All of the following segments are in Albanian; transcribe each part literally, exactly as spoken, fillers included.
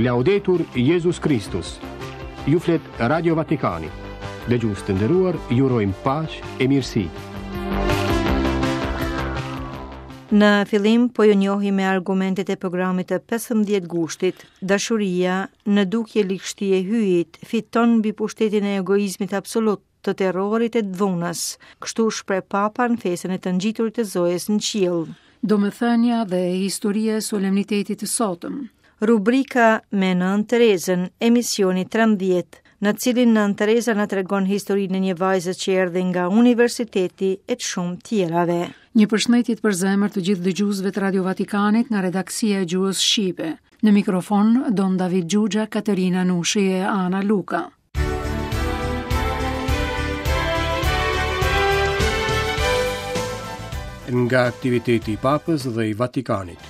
Laudetur Jezus Kristus. Ju flet Radio Vatikani. Dëgjues të nderuar, ju urojmë paqe e mirësi. Në fillim po ju njohim me argumentet e programit të pesëmbëdhjetë gushtit. Dashuria në dukje ligështi e hyjit fiton mbi pushtetin e egoizmit absolut, të terrorit e dhunës. Kështu shpreh Papa në festën e të ngjiturit të Zojës në qiell. Domethënia dhe historia e solemnitetit të sotëm. Rubrika me Nënë Terezën, emisioni trembëdhjetë, në cilin Nënë Tereza na tregon historinë e një vajze që erdhi nga universiteti e të shumë tjerave. Një përshëndetje për zemër të gjithë dëgjuesve të Radio Vatikanit nga redaksia e gjuhës shqipe. Në mikrofon Don David Xhuxha, Katerina Nushi e Ana Luka. Nga aktiviteti i Papës dhe i Vatikanit.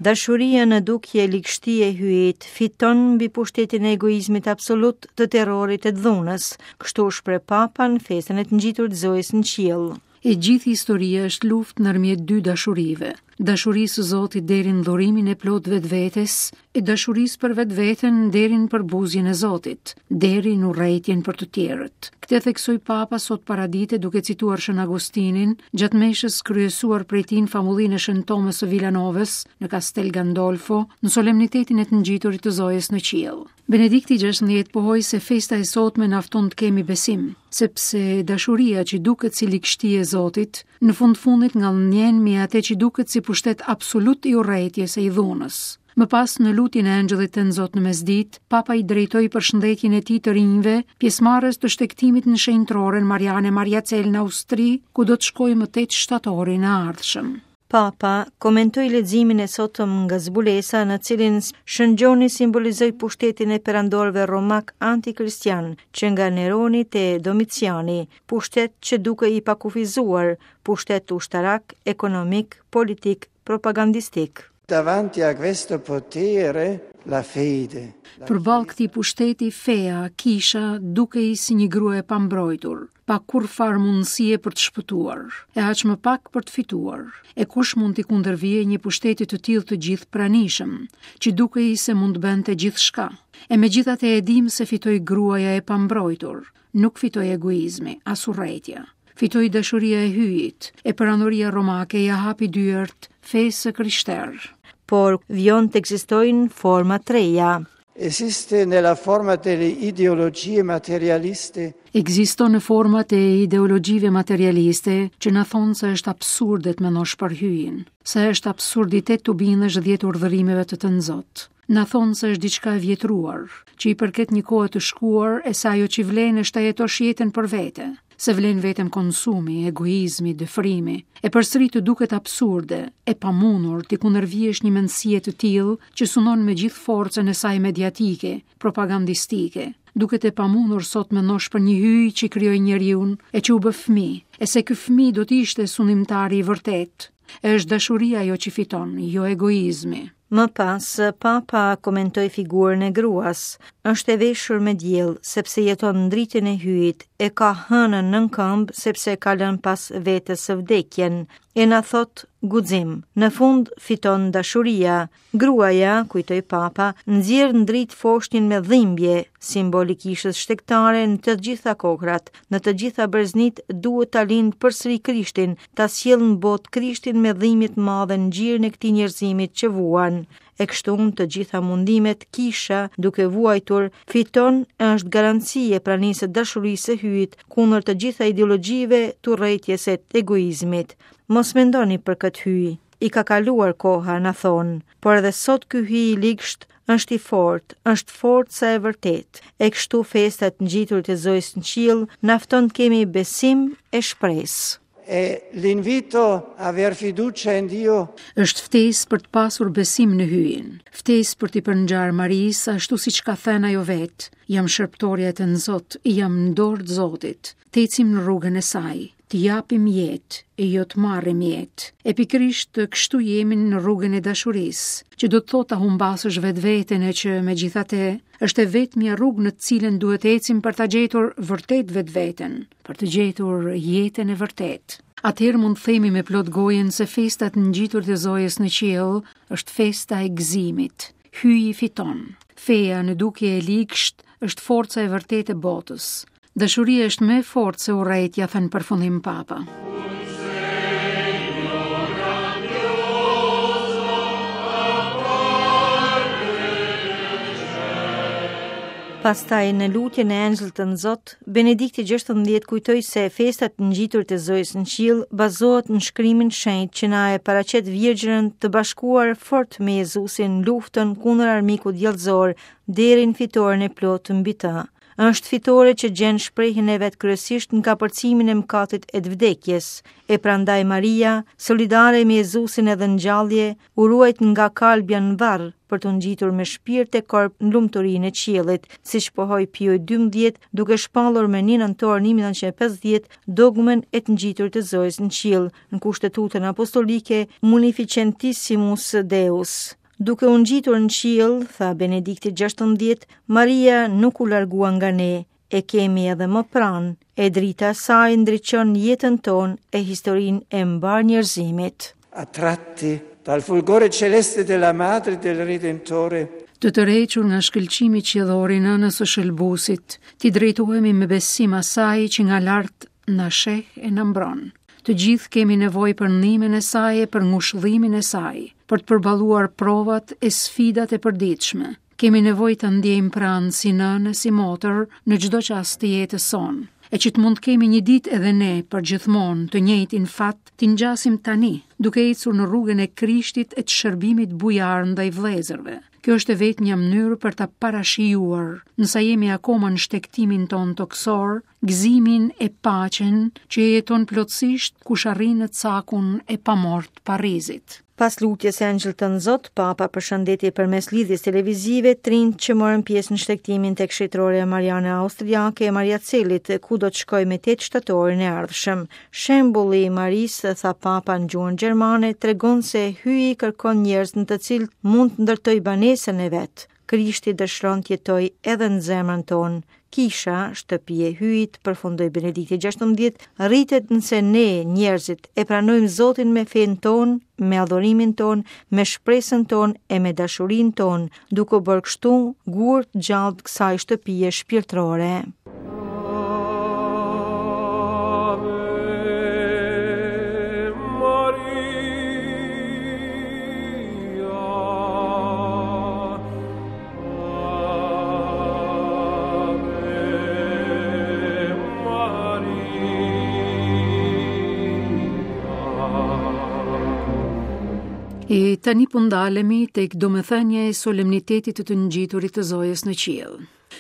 Dashuria në dukje ligështi e hyjit fiton mbi pushtetin e egoizmit absolut, të terrorit e dhunës. Kështu shpreh Papa në festën e të ngjitur të Zojës në qiell. E gjithë historia është luftë ndërmjet dy dashurive, dashurisë së Zotit deri në dhurimin e plot vetvetes, e dashurisë për vetveten deri në përbuzjen e Zotit, deri në urrejtjen për të tjerët. Këtë theksoi Papa sot paradite duke cituar Shën Agustinin gjatë meshës kryesuar prej tij në famullinë e Shën Tomës së Villanovës në Castel Gandolfo, në solemnitetin e të ngjiturit të Zojës në qiell. Benedikti gjashtëmbëdhjetë pohoi se festa e sotme na fton të kemi besim, sepse dashuria që duket si ligështi e Zotit, në fund fundit ngadhnjen mbi atë që duket si pushtet absolut i urrejtjes e i dhunës. Më pas, në lutjen e Engjëllit të Nzot në mesditë, Papa i drejtoi përshëndetjen e tij të rinjve, pjesëmarrës të shtegtimit në shenjtroren Mariane Mariacel në Austri, ku do të shkojë më tetë shtatorin e ardhshëm. Papa komentoi leximin e sotëm nga zbulesa në cilin Shën Gjoni simbolizoi pushtetin e perandorëve romak antikristian, që nga Neroni te Domiciani, pushtet që dukej i pakufizuar, pushtet ushtarak, ekonomik, politik, propagandistik. Davanti a questo potere la fede. Përballë këtij pushteti, feja, kisha, dukej si një grua e pambrojtur, pa kurrfar mundësie për të shpëtuar, e aq më pak për të fituar. E kush mund t'i kundërvije një pushteti të tillë të gjithë pranishëm, që dukej se mund të bënte gjithçka. E megjithatë e dim se fitoi gruaja e pambrojtur, nuk fitoi egoizmi, as urrejtja. Fitoi dashuria e hyjit, e perandoria romake ja hapi dyert fesë së krishterë. Por vijon të ekzistojnë forma të reja. Esiste nella forma delle ideologie materialiste. Ekziston në format e ideologjive materialiste që na thonë se është absurde të mendosh për hyjin, se është absurditet të bindesh dhjetë urdhërimeve të të nxot. Na thonë se është diçka e vjetruar, që i përket një kohe të shkuar e se ajo që vlen është ta jetosh jetën për vete, se vlen vetëm konsumi, egoizmi, dëfrimi. E përsëri të duket absurde, e pamundur t'i kundërvihesh një mendësie të tillë që sunon me gjithë forcën e saj mediatike, propagandistike. Duket e pamundur sot mendosh për një hyj që krijoi njeriun e që u bë fëmijë, e se ky fëmijë do të ishte sundimtari i vërtet. E është dashuria ajo që fiton, jo egoizmi. Më pas, Papa komentoi figurën e gruas. Është e veshur me diell, sepse jeton ndritjen e hyjit, e ka hënën nën këmbë, sepse ka lënë pas vetes së vdekjen. E na thot guxim. Në fund fiton dashuria. Gruaja, kujtoi Papa, nxjerr ndrit foshnjën me dhimbje, simbol i kishës shtegtare në të gjitha kohrat, në të gjitha breznit duhet ta lind përsëri Krishtin, ta sjell në botë Krishtin me dhimbje të madhe në gjirin e këtij njerëzimit që vuan. E kështu në të gjitha mundimet, kisha, duke vuajtur, fiton e është garanci e pranisë së dashurisë së hyjit kundër të gjitha ideologjive të urrejtjes e të egoizmit. Mos mendoni për këtë hyj, i ka kaluar koha, na thonë, por edhe sot ky hyj i ligsht është i fortë, është forca e vërtetë. E kështu festa e të ngjiturit e Zojës në qiell na fton të kemi besim e shpresë. E l'invito a aver fiducia in Dio. Është ftesë për të pasur besim në hyjin, ftesë për t'i përngjarë Marisë ashtu siç ka thënë ajo vetë, jam shërbëtorja e të Nzot, jam në dorë të Zotit, të ecim në rrugën e saj, të japim jetë e jo të marrim jetë. E pikërisht kështu jemi në rrugën e dashurisë, që do të thotë ta humbasësh vetveten e që megjithatë është e vetmja rrugë në të cilën duhet të ecim për ta gjetur vërtet vetveten, për të gjetur jetën e vërtetë. Atëherë mund të themi me plot gojën se festa e të ngjiturit të Zojës në qiell është festa e gëzimit. Hyji fiton. Feja në dukje e ligsht është forca e vërtetë e botës. Dashuria është më e fortë se urrejtja, thënë përfundim Papa. Pastaj në lutjen e Engjëllit Tënzot, Benedikti gjashtëmbëdhjetë kujtoi se festa e të ngjiturit të Zojës në qiell bazohet në shkrimin shenjt që na e paraqet Virgjërën të bashkuar fort me Jezusin në luftën kundër armikut djallëzor deri në fitoren e plotë mbi të. Është fitore që gjen shprehjen e vet kryesisht në kapërcimin e mëkatit e të vdekjes, e prandaj Maria, solidare me Jezusin edhe në gjallje, u ruajt nga kalbja në varr për të ngjitur me shpirt e korp në lumturinë e qiellit, siç pohoi Pio i dymbëdhjetë, duke shpallur me një nëntor një mijë e nëntëqind e pesëdhjetë dogmën e të ngjiturit të Zojës në qiell në kushtetutën apostolike Munificentissimus Deus. Duke u ngjitur në qiell, tha Benedikti gjashtëmbëdhjetë, Maria nuk u largua nga ne, e kemi edhe më pranë, e drita e saj ndriçon jetën tonë e historinë e mbar njerëzimit. Attratti dal fulgore celeste della Madre del Redentore, Të tërhequr nga shkëlqimi qiellor i nënës së Shëlbusit, ti drejtohemi me besim asaj që nga lart na sheh e na mbron. Të gjithë kemi nevojë për ndihmën e saj e për ngushëllimin e saj, për të përballuar provat e sfidat e përditshme. Kemi nevojë të ndjejmë pranë si nënë, si motër në çdo çast të jetës sonë. E që të mund të kemi një ditë edhe ne për gjithmonë të njëjtin fat, t'i ngjasim tani, duke ecur në rrugën e Krishtit e të shërbimit bujar ndaj vëllezërve. Kjo është e vetmja mënyrë për ta parashijuar, nëse jemi akoma në shtegtimin ton toksor, gëzimin e paqen që e jeton plotësisht kush arrin në cakun e pamort Parizit. Pas lutjes së Engjëllit Tënzot, Papa përshëndeti përmes lidhjes televizive trinjt që morën pjesë në shtegtimin tek shëtrorja Mariana Austriake e Maria Celit, ku do të shkojë me tetë shtatorin e ardhshëm. Shembulli i Marisë, tha Papa në gjuhën gjermane, tregon se Hyji kërkon njerëz në të cilët mund të ndërtojë banesën e vet. Krishti dëshiron të jetojë edhe në zemrën tonë. Kisha, shtëpi e Hyjit, përfundoi Benedikti gjashtëmbëdhjetë, rritet nëse ne, njerëzit, e pranojmë Zotin me fenë tonë, me adhurimin tonë, me shpresën tonë e me dashurinë tonë, duke u bërë kështu gur të gjallë të kësaj shtëpie shpirtërore. E tani po ndalemi tek domethënia e solemnitetit të të ngjiturit të Zojës në qiell.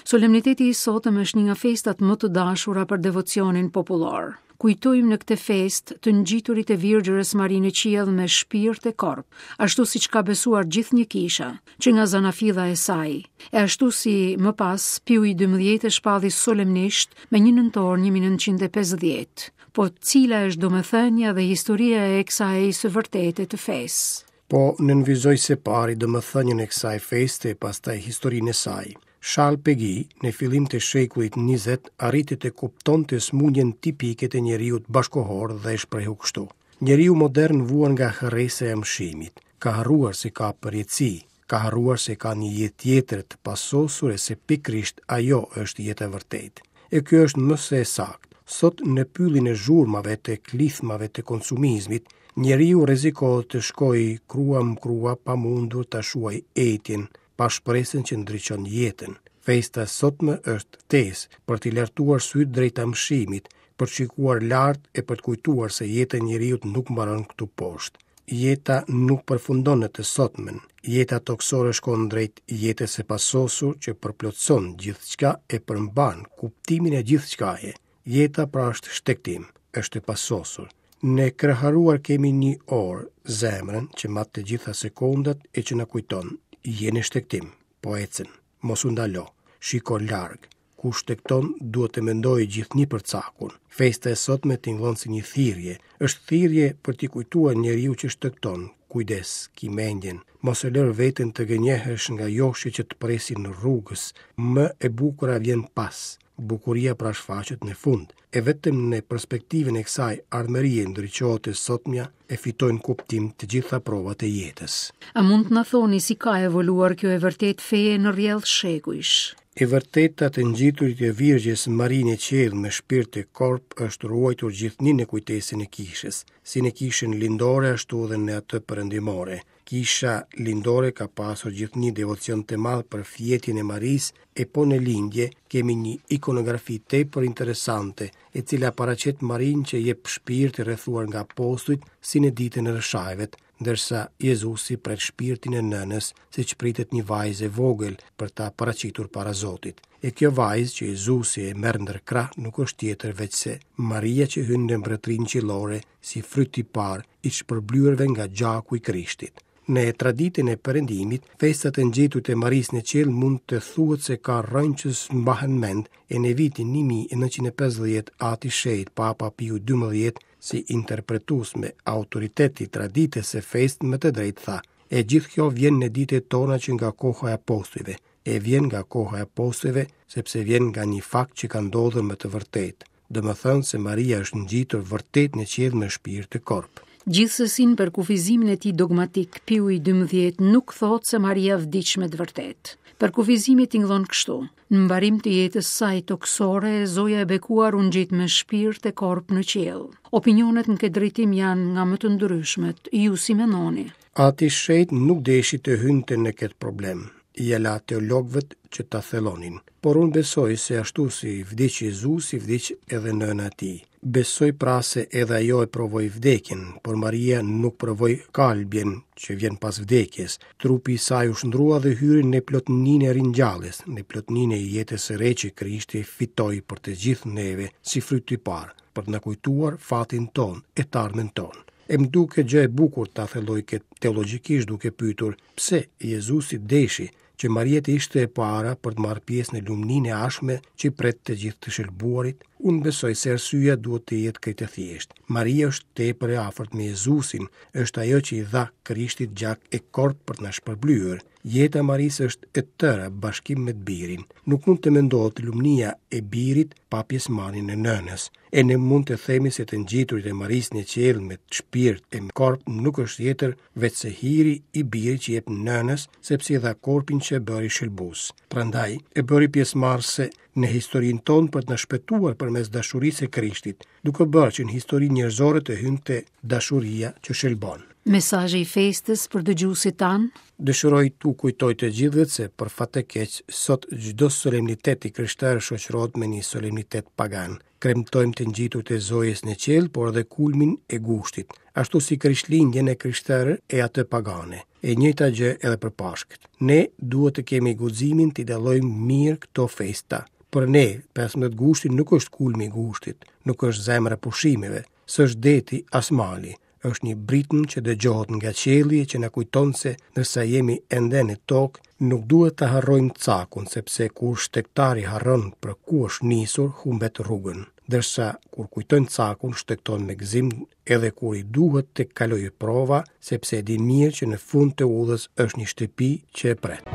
Solemniteti i sotëm është një nga festat më të dashura për devocionin popullor. Kujtojmë në këtë festë të ngjiturit e Virgjërës Mari në qiell me shpirt e korp, ashtu siç ka besuar gjithnjë kisha, që nga zanafilla e saj, e ashtu si më pas Piu i dymbëdhjetë e shpalli solemnisht me një nëntor një mijë e nëntëqind e pesëdhjetë. Po cila është domethënia dhe historia e kësaj së vërtete të fesë? Po nënvizoj se pari domethënien e kësaj feste e pastaj historinë e saj. Charles Péguy, në fillim të shekullit njëzet, arriti të kuptonte sëmundjen tipike të njeriut bashkohor dhe e shprehu kështu. Njeriu modern vuan nga harresa e amshimit, ka harruar se ka përjetësi, ka harruar se ka një jetë tjetër të pasosur e se pikërisht ajo është jeta e vërtetë. E kjo është më se e saktë. Sot në pyllin e zhurmave të klithmave të konsumizmit, njeriu rrezikohet të shkojë krua më krua pa mundur ta shuaj etjen, pa shpresën që ndriçon jetën. Festa e sotme është ftesë për t'i lartuar sytë drejt amshimit, për të shikuar lart e për të kujtuar se jeta e njeriut nuk mbaron këtu poshtë. Jeta nuk përfundon në të sotmen. Jeta toksore shkon drejt jetës së pasosur që përplotëson gjithçka e përmban kuptimin e gjithçkaje. Jeta pra është shtegtim, është e pasosur. Ne kraharuar kemi një orë, zemrën që mat të gjitha sekondat e që na kujton, je në shtegtim, po ecën, mos u ndalo, shiko larg. Kush shtegton duhet të mendojë gjithnjë për cakun. Festa e sotme tingëllon si një thirrje, është thirrje për t'i kujtuar njeriu që shtegton, kujdes, ki mendjen, mos e lër veten të gënjehesh nga joshje që të presin në rrugës, më e bukura vjen pas. Bukuria pra shfaqet në fund, e vetëm në perspektivën e kësaj ardhmërie ndriçohet e sotmja e fitojnë kuptim të gjitha provat e jetës. A mund të na thoni si ka evoluar kjo e vërtet feje në rrjedh shekujsh? E vërteta të ngjiturit e Virgjës Mari në qiell me shpirt e korp është ruajtur gjithnjë në kujtesën e kishës, si në kishën lindore ashtu edhe në atë perëndimore. Kisha lindore ka pasur gjithnjë devocion të madh për fjetjen e Marisë, e po në lindje kemi një ikonografi tepër interesante, e cila paraqet Marinë që jep shpirt i rrethuar nga apostujt si në ditën e Rrëshajvet, ndërsa Jezusi pret shpirtin e nënës, siç pritet një vajzë e vogël për ta paraqitur para Zotit. E kjo vajzë që Jezusi e merr ndër krah nuk është tjetër veçse Maria që hyn në mbretërinë qiellore si fryt i parë i shpërblyerve nga gjaku i Krishtit. Në traditën e perëndimit, festat e ngjitut e Marisë në qiell mund të thuhet se ka rrënjë që s'mbahen mend, e në vitin një mijë e nëntëqind e pesëdhjetë Ati Shenjt Papa Piu dymbëdhjetë, si interpretues me autoritet i traditës së festë, me të drejtë tha: E gjithë kjo vjen në ditët tona që nga koha e apostujve, e vjen nga koha e apostujve sepse vjen nga një fakt që ka ndodhur me të vërtetë, domethënë se Maria është ngjitur vërtet në qiell me shpirt e korp. Gjithsesi në përkufizimin e tij dogmatik, Piu i dymbëdhjetë nuk thotë se Maria vdiq me të vërtetë. Përkufizimi tingëllon kështu: në mbarim të jetës saj tokësore, Zoja e bekuar u ngjit me shpirt e korp në qiell. Opinionet në këtë drejtim janë nga më të ndryshmet. Ju si mendoni? Ati Shenjt nuk deshi të hynte në këtë problem. Ja la teologëve që ta thellonin. Por unë besoj se ashtu si vdiq Jezusi, vdiq edhe nëna e tij. Besoj pra se edhe ajo e provoi vdekjen, por Maria nuk provoi kalbjen që vjen pas vdekjes. Trupi i saj u shndrua dhe hyri në plotninë e ringjalljes, në plotninë e jetës së re që Krishti fitoi për të gjithë neve si fryt i parë, për të na kujtuar fatin ton e të ardhmen ton. E më duket gjë e bukur ta thelloj këtë teologjikisht duke pyetur pse Jezusi deshi që Maria të ishte e para për të marrë pjesë në lumninë e ardhshme që pret të gjithë të shëlbuarit. Unë besoj se arsyeja duhet të jetë krejt e thjeshtë. Maria është tepër e afërt me Jezusin, është ajo që i dha Krishtit gjak e korp për të na shpërblyer. Jeta e Marisë është e tëra bashkim me të birin. Nuk mund të mendohet lumnia e birit pa pjesëmarrjen e nënës. E ne mund të themi se të ngjiturit e Marisë në qiell me shpirt e me korp nuk është tjetër veçse hiri i birit që jep nënës, sepse i dha korpin që e bëri shëlbues. Prandaj e bëri pjesëmarrëse në historinë tonë për të na shpëtuar përmes dashurisë së Krishtit, duke bërë që në historinë njerëzore të hynte dashuria që shëlbon. Mesazhi i festës për dëgjuesit tan? Dëshiroj t'u kujtoj të gjithëve se për fat të keq sot çdo solemnitet i krishterë shoqërohet me një solemnitet pagan. Kremtojmë të ngjitut e Zojës në qiell, por edhe kulmin e gushtit, ashtu si Krishtlindjen e krishterë e atë pagane. E njëjta gjë edhe për Pashkët. Ne duhet të kemi guximin t'i dallojmë mirë këto festa. Për ne, pesëmbëdhjetë gushti nuk është kulmi i gushtit, nuk është zemra e pushimeve, s'është deti as mali, është një britmë që dëgjohet nga qielli e që na kujton se ndërsa jemi ende në tokë, nuk duhet ta harrojmë cakun, sepse kur shtegtari harron për ku është nisur, humbet rrugën. Ndërsa kur kujton cakun, shtegton me gëzim edhe kur i duhet të kalojë prova, sepse e di mirë që në fund të udhës është një shtëpi që e pret.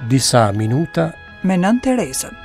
Disa minuta me Nënë Terezën.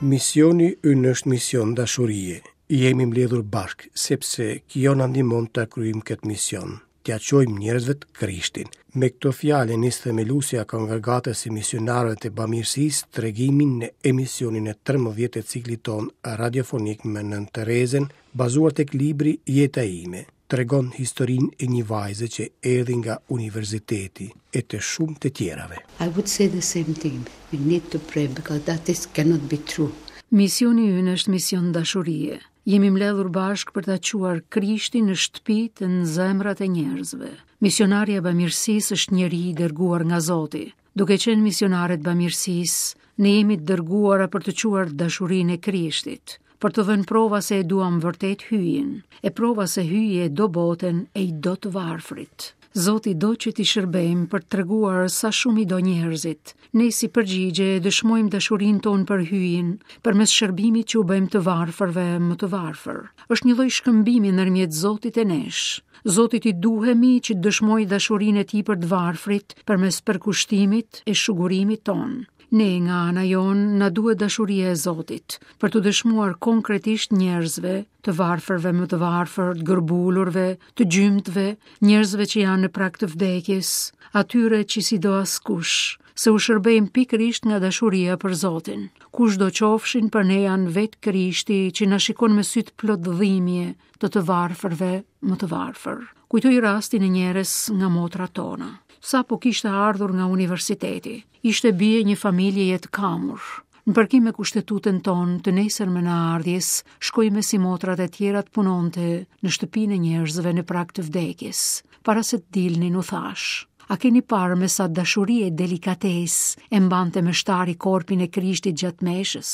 Misioni ynë është mision dashurie. Jemi mbledhur bashkë, sepse kjo na ndihmon ta kryejmë këtë mision, t'ia çojmë njerëzve të Krishtin. Me këto fjalë nis themeluesja e kongregatës së misionarëve të bamirësisë tregimin në emisionin e trembëdhjetë të ciklit ton radiofonik me Nënë Terezën, bazuar tek libri Jeta ime. Tregon historinë e një vajze që erdhi nga universiteti e të shumë të tjerave. I would say the same thing. We need to pray because that is cannot be true. Misioni ynë është mision dashurie. Jemi mbledhur bashkë për ta çuar Krishtin në shtëpitë, në zemrat e njerëzve. Misionari e bamirësisë është njeri i dërguar nga Zoti. Duke qenë misionare të bamirësisë, ne jemi të dërguara për të çuar dashurinë e Krishtit, për të dhënë prova se e duam vërtet hyjin, e prova se hyji e do botën e i do të varfrit. Zoti do që t'i shërbejmë për të treguar sa shumë i do njerëzit. Ne si përgjigje dëshmojmë dashurinë tonë për Hyjin, përmes shërbimit që u bëjmë të varfërve më të varfër. Është një lloj shkëmbimi ndërmjet Zotit e nesh. Zotit i duhemi që të dëshmojë dashurinë e tij për të varfrit përmes përkushtimit e shugurimit tonë. Ne nga ana jonë na duhet dashuria e Zotit për të dëshmuar konkretisht njerëzve, të varfërve më të varfër, të gërbulurve, të gjymtëve, njerëzve që janë në prag të vdekjes, atyre që si do askush, se u shërbejmë pikërisht nga dashuria për Zotin. Kush do qofshin për ne janë vetë Krishti që na shikon me sytë plot dhimbje të të varfërve më të varfër. Kujtoj rastin e njerës nga motrat tona. Sapo kishte ardhur nga universiteti. Ishte bie një familjeje të kamur. Në përkim me kushtetutën tonë të nesërmen e ardhjes, shkoi me si motrat e tjera të punonte në shtëpinë e njerëzve në prag të vdekjes. Para se të dilnin u thash: A keni parë me sa dashuri e delikatesë e mbante meshtari korpin e Krishtit gjatë meshës?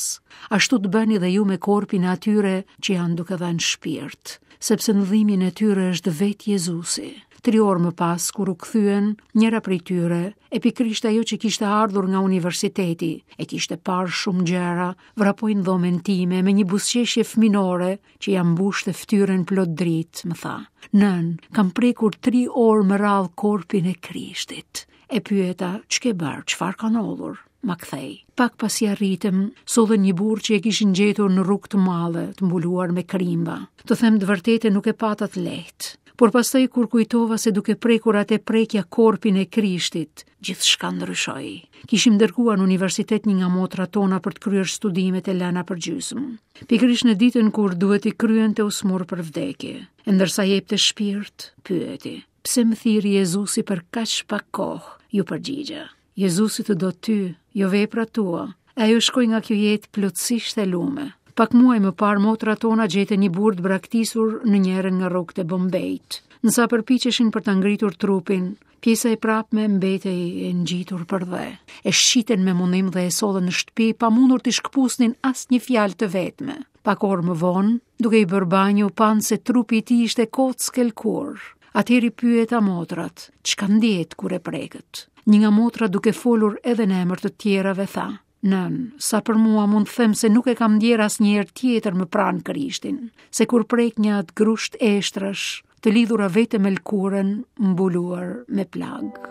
Ashtu të bëni dhe ju me korpin e atyre që janë duke dhënë shpirt, sepse në dhimbjen e tyre është vetë Jezusi. Tri orë më pas, kur u kthyen, njëra prej tyre, e pikërisht ajo që kishte ardhur nga universiteti, e kishte parë shumë gjëra, vrapoi në dhomën time me një buzëqeshje fëminore që ia mbushte fytyrën plot dritë, më tha: "Nën, kam prekur tri orë më radhë korpin e Krishtit." E pyeta: "Ç'ke bërë? Çfarë ka ndodhur?" Ma kthej. Pak pasi arritëm, sollën një burrë që e kishin gjetur në rrugë të madhe, të mbuluar me krimba. Të them të vërtetën, nuk e pata të lehtë. Por pastaj kur kujtova se duke prekur atë prekja korpin e Krishtit, gjithçka ndryshoi. Kishim dërguar në universitet një nga motrat tona për të kryer studimet e lëna për gjysmë. Pikërisht në ditën kur duhet i kryente u smur për vdekje. E ndërsa jepte shpirt, pyeti: "Pse më thirri Jezusi për kaq pak kohë?" Ju përgjigja: "Jezusi të do ty, jo veprat tua." E ajo shkoi nga kjo jetë plotësisht e lume. Pak muaj më parë motrat tona gjetën një burrë të braktisur në njërën nga rrugët e Bombejt. Nësa përpiqeshin për ta ngritur trupin, pjesa e prapme mbetej e ngjitur për dhe. E shqitën me mundim dhe e sollën në shtëpi pa mundur t'i shkpusnin asnjë fjalë të vetme. Pak orë më vonë, duke i bërë banjë, u panë se trupi i tij ishte kockë e lëkurë. Atëherë i pyeta motrat, çka ndjet kur e prekët? Një nga motrat, duke folur edhe në emër të tjerave, tha: "Nën, sa për mua mund të them se nuk e kam ndjerë asnjëherë tjetër më pranë Krishtin, se kur prek një atë grusht eshtrash, të lidhura vetëm me lëkurën mbuluar me plagë."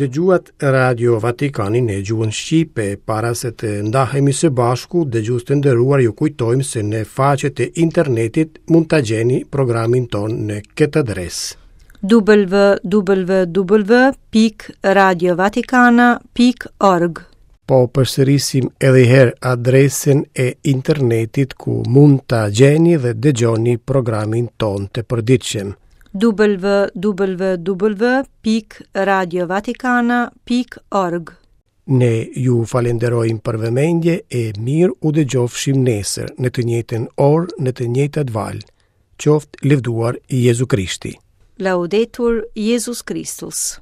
Dëgjuat Radio Vatikanin në gjuhën shqipe. Para se të ndahemi së bashku, dëgjues të nderuar, ju kujtojmë se në faqet e internetit mund ta gjeni programin ton në këtë adresë: w w w pikë radio vatikana pikë org. Po përsërisim edhe një herë adresën e internetit ku mund ta gjeni dhe dëgjoni programin ton të përditshëm: w w w pikë radio vatikana pikë org. Ne ju falenderojmë për vëmendje e mirë u dëgjofshim nesër në të njëjtën orë, në të njëjtat valë. Qoftë lëvduar Jezu Krishti. Laudetur Jezus Kristus.